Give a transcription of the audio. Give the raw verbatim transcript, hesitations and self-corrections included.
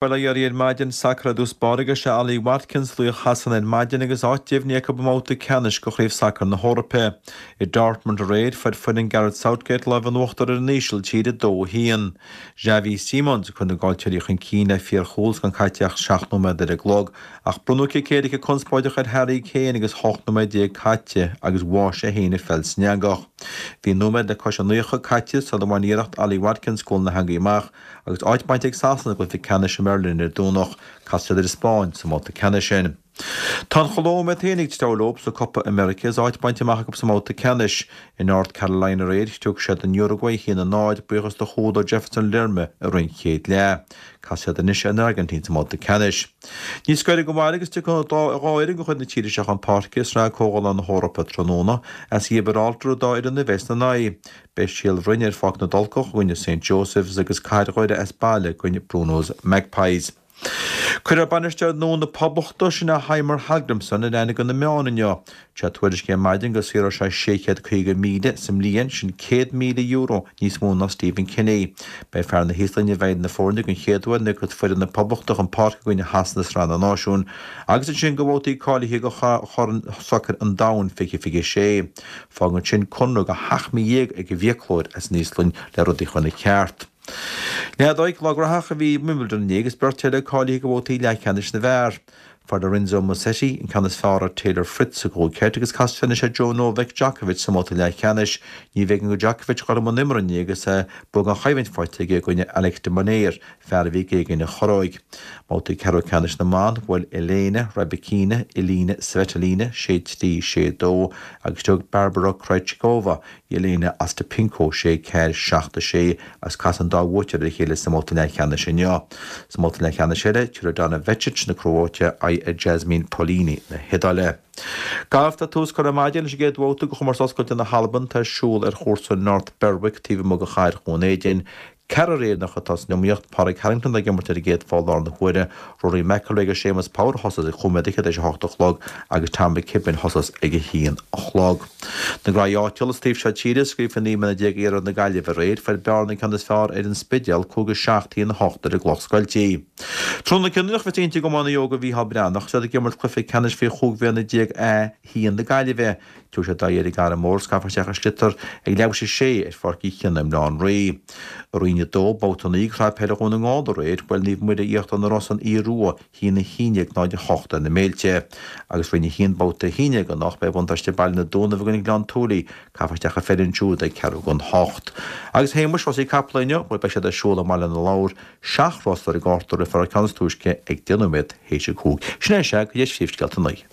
Bail ó Dhia oraibh ar maidin, sacar i dtús báire agus sé Ollie Watkins laoch Shasana ar maidin agus áit deimhnithe acu i mbabhta ceannais de Chraobh Sacair na hEorpa. I Dortmund aréir, fuair foireann Gareth Southgate lámh in uachtar ar an Ísiltír a dó a haon. Xavi Simons a chuir na Gailltírí chun cinn le fíorchúl is gan caite ach seacht nóiméad ar an gclog, ach bronnadh cic éirice conspóideach ar Harry Kane agus hocht nóiméad déag caite agus bháigh sé féin an pheil san eangach. Bhí nóiméad le cois a naocha caite sula bhain iarracht Ollie Watkins cúl na heangaí amach agus áit bainte ag Sasana i gcluiche ceannais i mBeirlín ar Domhnach, casfaidh siad ar an Spáinn sa mbabhta ceannais sin. Tá an Cholóim iad féin ag treabhadh leo sa Copa America is áit bainte amach acu sa mbabhta ceannais. I North Carolina aréir, thug siad an Uruguay a haon a náid, buíochas do chúl ó Jefferson Lerma i rith an chéad leath. Casfaidh siad anois ar an Airgintín sa mbabhta ceannais. Níos gaire don bhaile agus tiocfaidh dhá fhoireann de chuid na tíre seo chun páirce i Sraith Comhdhála na hEorpa tráthnóna. As Giobráltar an dá fhoireann a bheas ina n-aghaidh. Beidh Síol Bhroin ar Pháirc na dTulcach i gcoinne Saint Joseph's agus Cathair Dhoire as baile i gcoinne Bruno's Magpies. Cuirfear bainisteoir nua na Poblachta, sin é Heimir Hallgrímsson, ar aithne do na meáin inniu. Sé tuairiscithe ar maidin go saothróidh sé sé chéad caoga míle sa mbliain, sin céad míle euro níos mó ná Stephen Kenny. Beidh fear na hÍoslainne i bhfeighil na foirne den chéad uair nuair a thiocfas foireann na Poblachta chun páirce i gcoinne Shasana i Sraith na Náisiún agus ansin do bhabhtaí cáilithe do Chorn Sacair an Domhain fiche fiche sé. Fágann sin conradh de sheacht mí dhéag ag an bhfiaclóir as an Íoslainn le rudaí a chur ina cheart. Leathadóig lá graitheach a bhí i Wimbledon inné agus beirt eile cáilithe do bhabhtaí leathcheannais na bhfear. Fuair Lorenzo Musetti an ceann is fearr ar Taylor Fritz sa gcúig sheit agus casfaidh sé anois ar Joe Novak Djokovic sa mbabhta leathcheannais. Ní bheidh ann do Djokovic a dhul i mbun imeartha inné agus bua gan choimhlint faighte aige i gcoinne Alex de Minaur, fear a bhí ag éagaoineadh a churróig. Mbabhtaí ceathrú ceannais na mban, bhuail Elena Rybakina Elina Svitolina sé trí, sé dó agus thug Barbora Krejcikova Jelena Ostapenko sé ceathair, seacht a sé agus casfaidh an dá bhuaiteoir ar a chéile sa mbabhta leathcheannais inniu. Sa mbabhta leathcheannais eile, tabharfaidh Donna Vekic na Cróite aghaidh ar Jasmine Paolini na hIodáile. Galf Tá tús curtha ar maidin leis an gcéad bhabhta de Chomórtas Oscailte na hAlban atá ar siúl ar chúrsa North Berwick taobh amuigh de chathair Dhún Éideann. Ceathrar Éireannach atá san iomaíocht, Pádraig Harrington ag imirt ar an gcéad pholl i láthair na huaire, Rory McIlroy agus Séamus Power a thosós ag chúig nóiméad fhichead théis a hocht a chlog agus Tom McKibbin a thosós ag a haon a chlog. Na graí áitiúla sa taobh seo tíre, scríofa naoi mbliana déag iarthar na Gaillimhe aréir, fuair Bearna an ceann is fearr ar an Spidéal, cúig a seacht, a haon a hocht ar an gcloch scoiltí. Tráthnóna cinniúnach a bheas inti d'iománaí óga Mhícheál Breathnach, is iad ag imirt cluiche ceannais faoi chúig bhliana déag A haon na Gaillimhe. Tabharfaidh siad aghaidh ar an gCarn Mór is caithfear isteach i sliotar ag leathuair théis a sé ar Pháirc Uí Chionnaith i mBaile Átha an Rí. I Roinn a dó, babhta naoi de Shraith Peile Dhún na nGall aréir, bhuail Naomh Muire Íochtar na Rosann Iorua a haon a haon déag náid a hocht ar na Méilte. Agus Roinn a haon, babhta a haon déag anocht, beidh buntáiste baile na Dúnaibh i gcoinne Ghleann tSúilí, caithfear isteach an pheil ansiúd ag ceathrú don hocht. Agus a Shéamuis, rásaí capall inniu, bhuel beidh siad ar siúl i mBaile na Lobhar, seacht rás ar an gcárta, rithfear an ceann is túisce ag deich nóiméad théis a cúig. Sin é sea, go dtí phríomhscéalta a naoi.